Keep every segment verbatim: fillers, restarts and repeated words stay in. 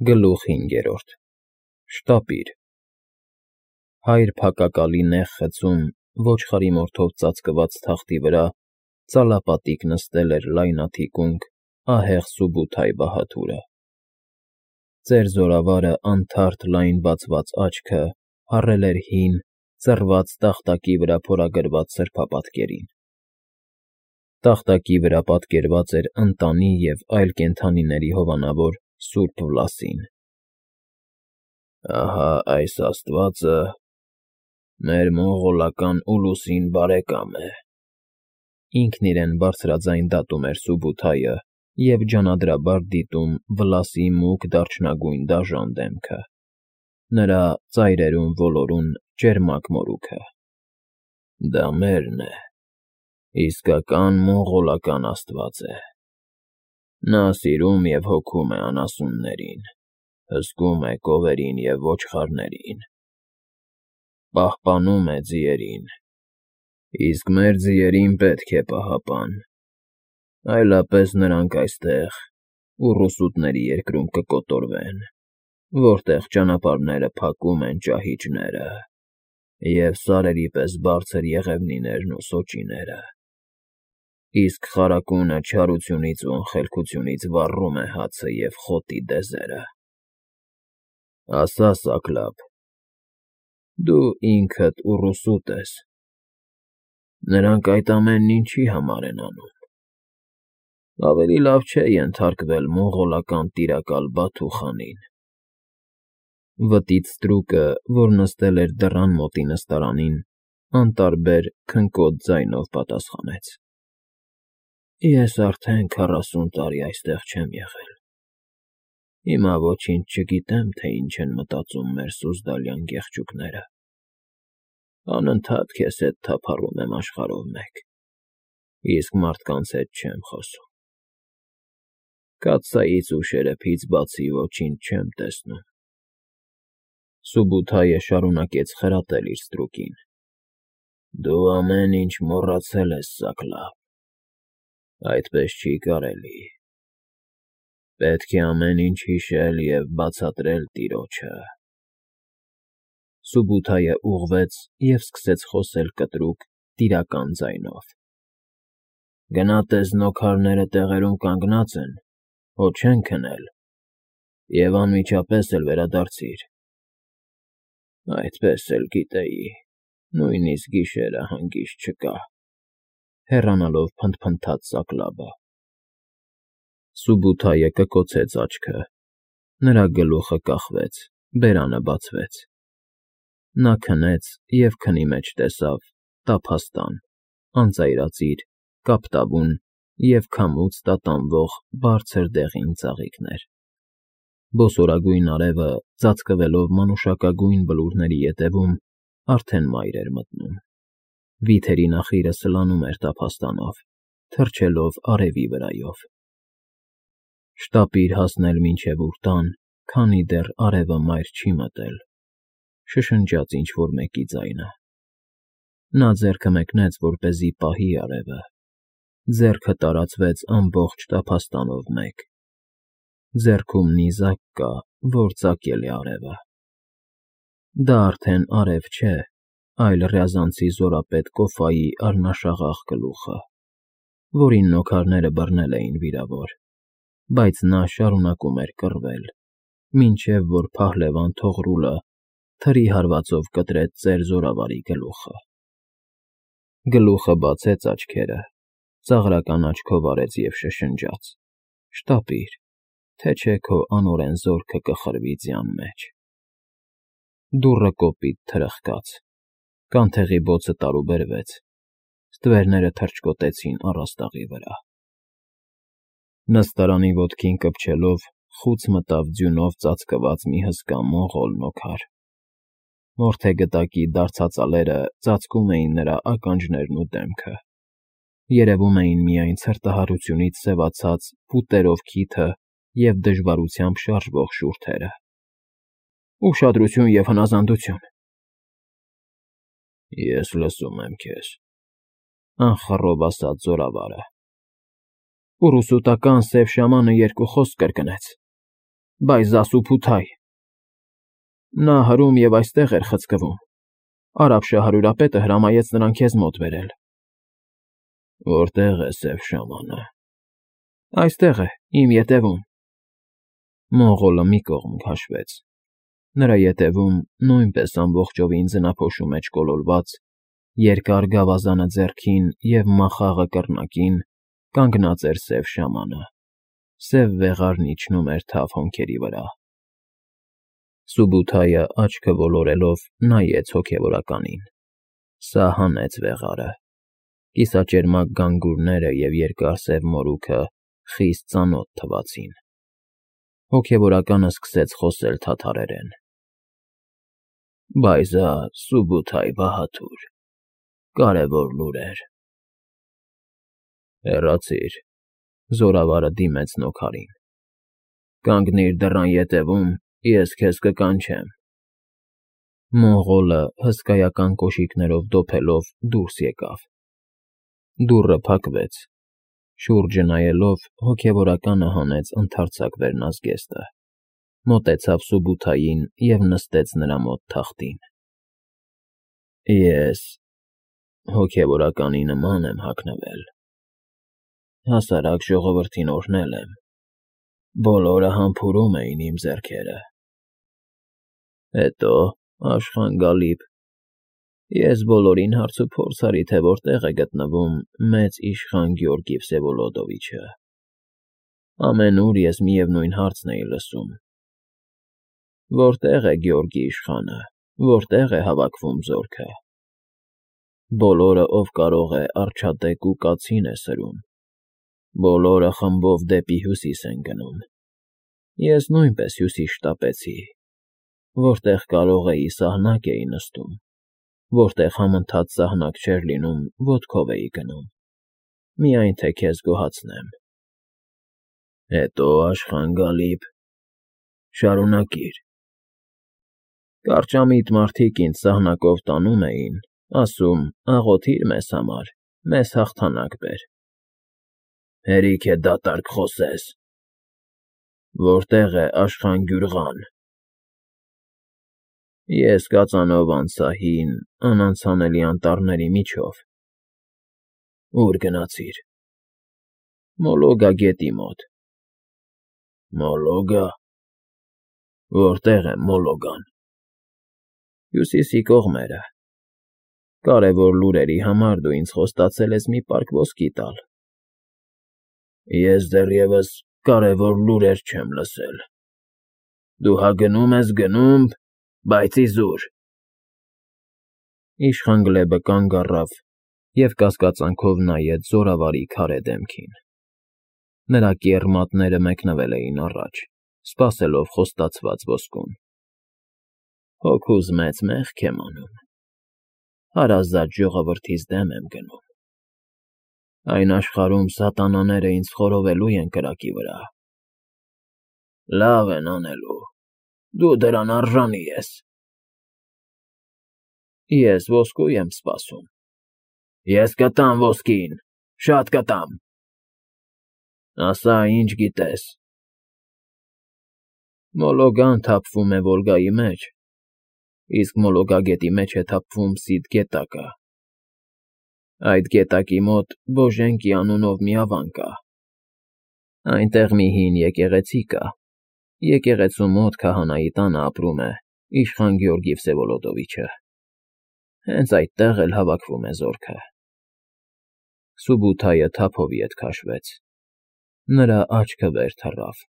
Գլուխ հինգերորդ Շտապիր Հայր փակակալի նեղ խցում, ոչխարի մորթով ծածկված թախտի վրա ծալապատիկ նստել էր լայնաթիկունք, ահեղ Սուբութայ բահադուրը. ծեր զորավարը անթարթ լայն բացված աչքը փառել էր հին, ծռված տախտակի վրա փորագրված սրբապատկերին. տախտակի վրա պատկերված էր ընտանի և այլ կենդանիների հովանավոր սուրբ Վլասին։ Ահա այս աստվածը մեր մոնղոլական ուլուսին բարեկամ է, ինքն իրեն բարձրաձայն դատում էր Սուբութայը և ջանադրաբար դիտում Վլասի մուգ դարչնագույն դաժան դեմքը, նրա ծայրերում ոլորուն ճերմակ մորուքը։ Դա մերն է, իսկական մոնղոլական աստված է։ Նա սիրում և հոգում է անասուններին, հսկում է կովերին և ոչխարներին, պահպանում է ձիերին, իսկ մեր ձիերին պետք է պահապան, այլապես նրանք այստեղ, ուռուսուտների երկրում կկոտորվեն, որտեղ ճանապարհները փակում են ճահիճները և սարերի պես բարձր եղևնիներն ու սոճիները, իսկ խարակունը չարությունից ու անխելքությունից վառում է հացը և խոտի դեզերը։ Ասա, Սակլափ, դու ինքդ ուռուսուտ ես, նրանք այդ ամենն ինչի համար են անում։ Ավելի լավ չէ ենթարկվել մոնղոլական տիրակալ Բաթու խանին։ Վտից ստրուկը, որ նստել էր դռան մոտի նստարանին, անտարբեր քնկոտ ձայնով պատասխանեց. Ես արդեն քառասուն տարի այստեղ չեմ եղել, հիմա ոչինչ չգիտեմ, թե ինչ են մտածում մեր սուզդալյան գեղչուկները, անընդհատ քեզ հետ թափառում եմ աշխարհով մեկ, իսկ մարդկանց հետ չեմ խոսում, կաթսայից ու շերեփից բացի ոչինչ չեմ տեսնում։ Սուբութայը շարունակեց խրատել իր ստրուկին. Դու ամեն ինչ մոռացել ես, Սակլափ, այդպես չի կարելի, պետք է ամեն ինչ հիշել և բացատրել տիրոջը։ Սուբութայը ուղղվեց և սկսեց խոսել կտրուկ, տիրական ձայնով. Գնա տես նոքարները տեղերում կանգնած են, հո չեն քնել, և անմիջապես էլ վերադարձիր։ Այդպես էլ գիտեի, նույնիսկ գիշերը հանգիստ չկա, հեռանալով փնթփնթաց Սակլափը։ Սուբութայը կկոցեց աչքը, նրա գլուխը կախվեց, բերանը բացվեց։ Նա քնեց և քնի մեջ տեսավ տափաստան, անծայրածիր, կապտավուն և քամուց տատանվող բարձր դեղին ծաղիկներ։ Բոսորագույն արևը, ծածկվելով մանուշակագույն բլուրների ետևում, արդեն մայր էր մտնում։ Վիթերի նախիրը սլանում էր տափաստանով, թռչելով արևի վրայով։ Շտապիր հասնել մինչև ուր տան, քանի դեռ արևը մայր չի մտել, շշնջաց ինչ֊որ մեկի ձայնը։ Նա ձեռքը մեկնեց, որպեսզի պահի արևը, ձեռքը տարածվեց ամբողջ տափաստանով մեկ։ Ձեռքում նիզակ կա, որ ծակել է արևը։ Դա արդեն արև չէ, այլ Ռյազանցի զորապետ Կոֆայի առնաշաղախ գլուխը, որին նոքարները բռնել էին վիրավոր, բայց նա շարունակում էր կռվել, մինչև որ փահլևան Թողրուլը թրի հարվածով կտրեց ծեր զորավարի գլուխը։ Գլուխը բացեց աչքերը, ծաղրական աչքով արեց և շշնջաց. Շտապիր, թե չէ քո անօրեն զորքը կխրվի ձյան մեջ։ Դուռը կոպիտ թրխկաց, կանթեղի բոցը տարուբերվեց, ստվերները թռչկոտեցին առաստաղի վրա։ Նստարանի ոտքին կպչելով խուց մտավ ձյունով ծածկված մի հսկա մոնղոլ նոքար։ Մորթեգտակի դարձածալերը ծածկում էին նրա ականջներն ու դեմքը, երևում էին միայն ցրտահարությունից սևացած փուտերով քիթը և դժվարությամբ շարժվող շուրթերը։ Ուշադրություն և հնազանդություն։ Ես լսում եմ քեզ, անխռով ասաց զորավարը։ Ուռուսուտական սև շամանը երկու խոսք կրկնեց։ Բայց Զասուփութայ… Նա հրում և այստեղ էր խցկվում, արաբ շահարյուրապետը հրամայեց նրան քեզ մոտ բերել։ ֊ Որտե՞ղ է սև շամանը։ ֊ Այստեղ է, իմ ետևում… Մողոլը մի կողմ քաշվեց, նրա ետևում, նույնպես ամբողջովին ձնափոշու մեջ կոլորված, երկար գավազանը ձեռքին և մախաղը կռնակին, կանգնած էր սև շամանը, սև վեղարն իջնում էր թավ հոնքերի վրա։ Սուբութայը աչքը ոլորելով նայեց հոգևորականին, սա հանեց վեղարը, կիսաճերմակ գանգուրները և երկար սև մորուքը խիստ ծանոթ թվացին։ Հոգևորականը սկսեց խոսել թաթարերեն. Բայ զա Սուբութայ Բահադուր, կարևոր լուրեր… Հեռացիր, զորավարը դիմեց նոքարին, կանգնիր դռան ետևում, ես քեզ կկանչեմ։ Մողոլը հսկայական կոշիկներով դոփելով դուրս եկավ։ Դուռը փակվեց, շուրջը նայելով հոգևորականը հանեց ընդարձակ վերնազգեստը, մոտեցավ Սուբութային և նստեց նրա մոտ թախտին։ Ես հոգևորականի նման եմ հագնվել, հասարակ ժողովրդին օրհնել եմ, բոլորը համբուրում էին իմ ձեռքերը։ Հետո, Աշխան Գալիբ, ես բոլորին հարցուփորձ արի, թե որտեղ է գտնվում մեծ իշխան Գյորգի Վսևոլոդովիչը։ Ամենուր ես միևնույն հարցն էի լսում. որտե՞ղ է Գյորգի իշխանը, որտե՞ղ է հավաքվում զորքը։ Բոլորը, ով կարող է, արջատեկ ու կացին է սրում, բոլորը խմբով դեպի հյուսիս են գնում։ Ես նույնպես հյուսիս շտապեցի, որտեղ կարող էի, սահնակ էի նստում, որտեղ համընթաց սահնակ չէր լինում, ոտքով էի գնում, միայն թե քեզ գոհացնեմ։ Հետո, Աշխան Գալիբ, շարունակիր։ Կարճամիտ մարդիկ ինձ սահնակով տանում էին, ասում՝ աղոթիր մեզ համար, մեզ հաղթանակ բեր։ Հերիք է դատարկ խոսես։ Որտե՞ղ է Աշխան Գյուրղան։ Ես կածանով անցա հին, անանցանելի անտառների միջով։ Ո՞ւր գնացիր։ Մոլոգա գետի մոտ։ Մոլոգա… Որտե՞ղ է Մոլոգան։ Հյուսիսի կողմերը։ Կարևոր լուրերի համար դու ինձ խոստացել ես մի պարկ ոսկի տալ։ Ես դեռևս կարևոր լուրեր չեմ լսել։ Դու հա գնում ես, գնում, բայց իզուր… Իշխան Գլեբը կանգ առավ և կասկածանքով նայեց զորավարի քարե դեմքին։ Նրա կեռ մատները մեկնվել էին առաջ, սպասելով խոստացված ոսկուն։ Հոգուս մեծ մեղք եմ անում, հարազատ ժողովրդիս դեմ եմ գնում։ Այն աշխարհում սատանաները ինձ խորովելու են կրակի վրա։ Լավ են անելու, դու դրան արժանի ես։ Ես ոսկու եմ սպասում։ Ես կտամ ոսկին, շատ կտամ։ Ասա, ինչ գիտես։ Մոլոգան թափվում է Վոլգայի մեջ, իսկ Մոլոգա գետի մեջ է թափվում Սիդ գետակը։ Այդ գետակի մոտ Բոժենկի անունով մի ավան կա։ Այնտեղ մի հին եկեղեցի կա, եկեղեցու մոտ քահանայի տանը ապրում է իշխան Գյորգի Վսևոլոդովիչը։ Հենց այդտեղ էլ հավաքվում է զորքը։ Սուբութայը թափով ետ քաշվեց։ Նրա աչքը վեր թռավ,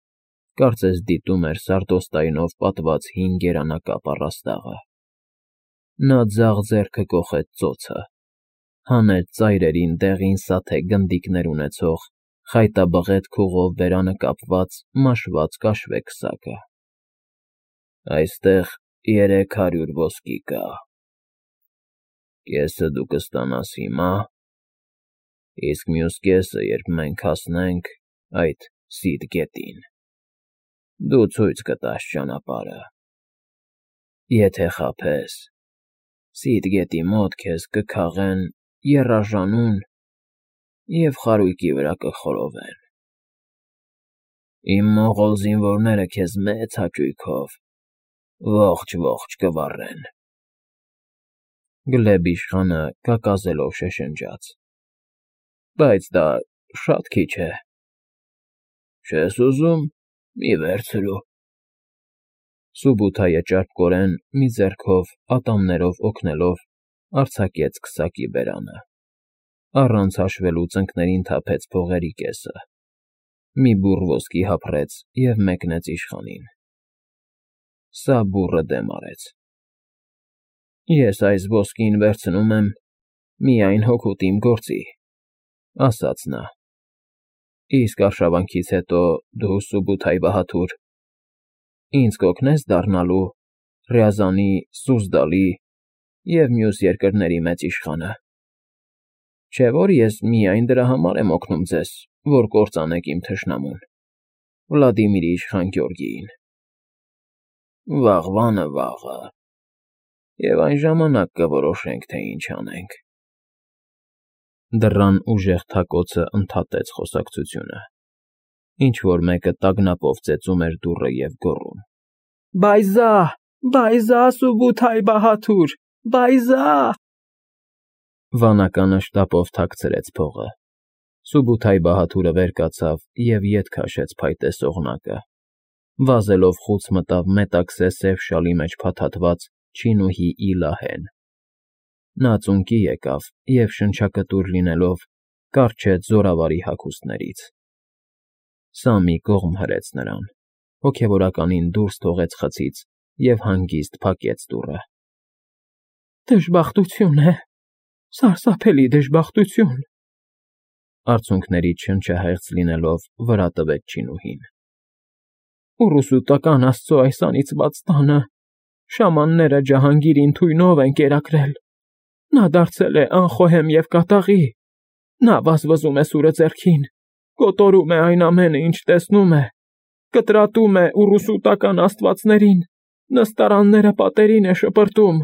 կարծես դիտում էր սարդոստայնով պատված հին գերանակապ առաստաղը։ Նա ձախ ձեռքը կոխեց ծոցը, հանեց ծայրերին դեղին սաթե գնդիկներ ունեցող, խայտաբղետ քուղով բերանը կապված մաշված կաշվե քսակը։ Այստեղ երեք հարյուր ոսկի կա։ Կեսը դու կստանաս հիմա, իսկ մյուս կեսը, երբ մենք հասնենք այդ Սիդ գետին, դու ցույց կտաս ճանապարհը։ Եթե խաբես, Սիդ գետի մոտ քեզ կքաղեն եռաժանուն և խարույկի վրա կխորովեն։ Իմ մողոլ զինվորները քեզ մեծ հաճույքով ողջ-ողջ կվառեն։ Գլեբ իշխանը կակազելով շշնջաց. Բայց դա շատ քիչ է։ Չես ուզում, մի վերցրու։ Սուբութայը ճարպկորեն մի ձեռքով ատամներով օգնելով արձակեց քսակի բերանը, առանց հաշվելու ծնկներին թափեց փողերի կեսը, մի բուռ ոսկի հափռեց և մեկնեց իշխանին։ Սա բուռը դեմ արեց. Ես այս ոսկին վերցնում եմ միայն հօգուտ իմ գործի, ասաց նա, իսկ արշավանքից հետո դու, Սուբութայ բահադուր, ինձ կօգնե՞ս դառնալու Ռյազանի, Սուզդալի և մյուս երկրների մեծ իշխանը, չէ՞ որ ես միայն դրա համար եմ օգնում ձեզ, որ կործանեք իմ թշնամուն, Վլադիմիրի իշխան Գյորգիին։ Վաղվանը վաղը, և այն ժամանակ կորոշենք, թե ինչ անենք։ Դռան ուժեղ թակոցը ընդհատեց խոսակցությունը, ինչ֊որ մեկը տագնապով ծեծում էր դուռը և գոռում. Բայզա, բայզա, Սուբութայ բահադուր, բայզա… Վանականը շտապով թաքցրեց փողը, Սուբութայ բահադուրը վեր կացավ և ետ քաշեց փայտե սողնակը, վազելով խուց մտավ մետաքսե սև շալի մեջ փաթաթված չինուհի Իլահեն։ Նա ծունկի եկավ և, շնչակտուր լինելով, կառչեց զորավարի հագուստներից։ Սա մի կողմ հրեց նրան, հոգևորականին դուրս թողեց խցից և հանգիստ փակեց դուռը։ Դժբախտություն է, սարսափելի դժբախտություն… Արցունքներից շնչահեղձ լինելով վրա տվեց չինուհին։ Ուռուսուտական աստծո այս անիծված տանը շամանները Ջահանգիրին թույնով են կերակրել, նա դարձել է անխոհեմ և կատաղի, նա վազվզում է սուրը ձեռքին, կոտորում է այն ամենը, ինչ տեսնում է, կտրատում է ուռուսուտական աստվածներին, նստարանները պատերին է շպրտում։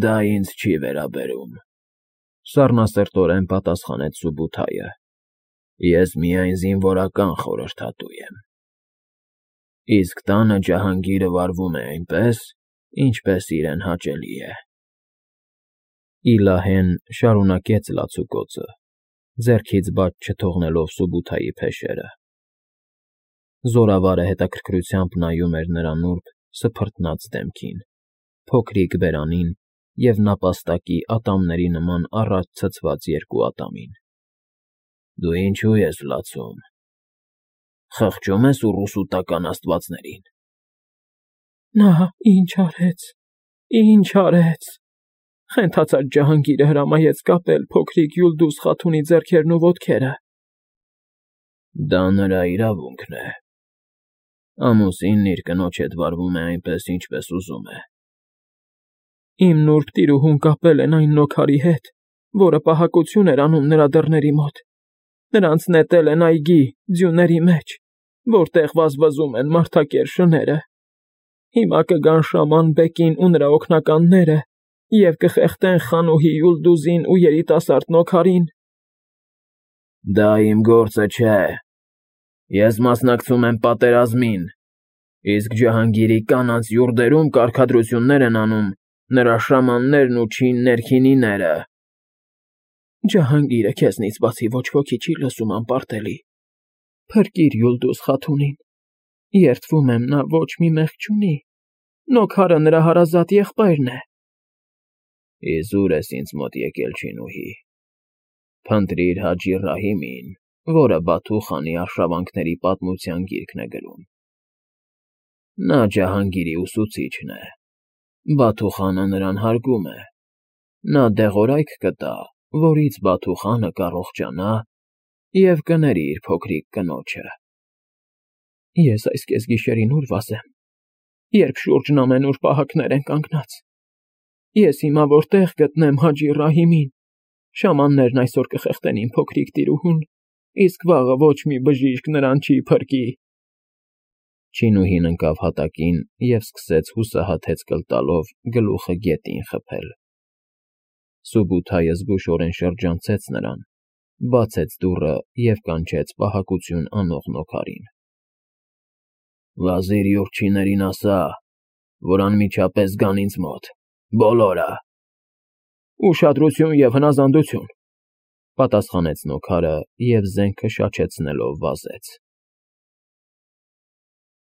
Դա ինձ չի վերաբերում, սառնասրտորեն պատասխանեց Սուբութայը, ես միայն զինվորական խորհրդատու եմ։ Իսկ տանը Ջահանգիրը վարվում է այնպես, ինչպես իրեն հաճելի է։ Իլահեն շարունակեց լացուկոցը, ձեռքից բաց չթողնելով Սուբութայի փեշերը։ Զորավարը հետաքրքրությամբ նայում էր նրա նուրբ, սփռտնած դեմքին, փոքրիկ բերանին և նապաստակի ատամների նման առաջ ցցված երկու ատամին։ Դու ինչո՞ւ ես լացում, խղճո՞ւմ ես ուռուսուտական աստվածներին։ Նա ինչ արեց, ինչ արեց… Խենթացած Ջահանգիրը հրամայեց կապել փոքրիկ Յուլդուզ խաթունի ձեռքերն ու ոտքերը։ Դա նրա իրավունքն է։ Ամուսինն իր կնոջ հետ վարվում է այնպես, ինչպես ուզում է։ Իմ նուրբ տիրուհուն կապել են այն նոքարի հետ, որը պահակություն էր անում նրա դռների մոտ, նրանց նետել են այգի, ձյունների մեջ, որտեղ վազվզում են մարդակեր շները։ Հիմա կգան շաման Բեկին ու նրա օգնականները և կխեղդեն խանուհի Յուլդուզին ու երիտասարդ նոքարին։ Դա իմ գործը չէ։ Ես մասնակցում եմ պատերազմին, իսկ Ջահանգիրի կանանց յուրդերում կարգադրություններ են անում նրա շամաններն ու չին ներքինիները։ Ջահանգիրը քեզնից բացի ոչ ոքի չի լսում, անպարտելի։ Փրկիր Յուլդուզ խաթունին, երդվում եմ, նա ոչ մի մեղք չունի, նոքարը նրա հարազատ եղբայրն է։ Իզուր ես ինձ մոտ եկել, չինուհի, փնտրիր Հաջի Ռահիմին, որը Բաթու խանի արշավանքների պատմության գիրքն է գրում։ Նա Ջահանգիրի ուսուցիչն է, Բաթու խանը նրան հարգում է, նա դեղորայք կտա, որից Բաթու խանը կառողջանա և կների իր փոքրիկ կնոջը։ Ես այս կեսգիշերին ուր վազեմ, երբ շուրջն ամենուր պահակներ են կանգնած։ Ես հիմա որտեղ գտնեմ Հաջի Ռահիմին, շամաններն այսօր կխեղդեն իմ փոքրիկ տիրուհուն, իսկ վաղը ոչ մի բժիշկ նրան չի փրկի։ Չինուհին ընկավ հատակին և սկսեց հուսահատ հեծկլ տալով գլուխը գետին խփել։ Սուբութայը զգուշորեն շրջանցեց նրան, բացեց դուռը և կանչեց պահակություն անող նոքարին։ ֊ Վազիր յուրջիներին ասա, որ անմիջապես գան ինձ մոտ, բոլորը։ ֊ Ուշադրություն և հնազանդություն,֊ պատասխանեց նոքարը և զենքը շաչեցնելով վազեց։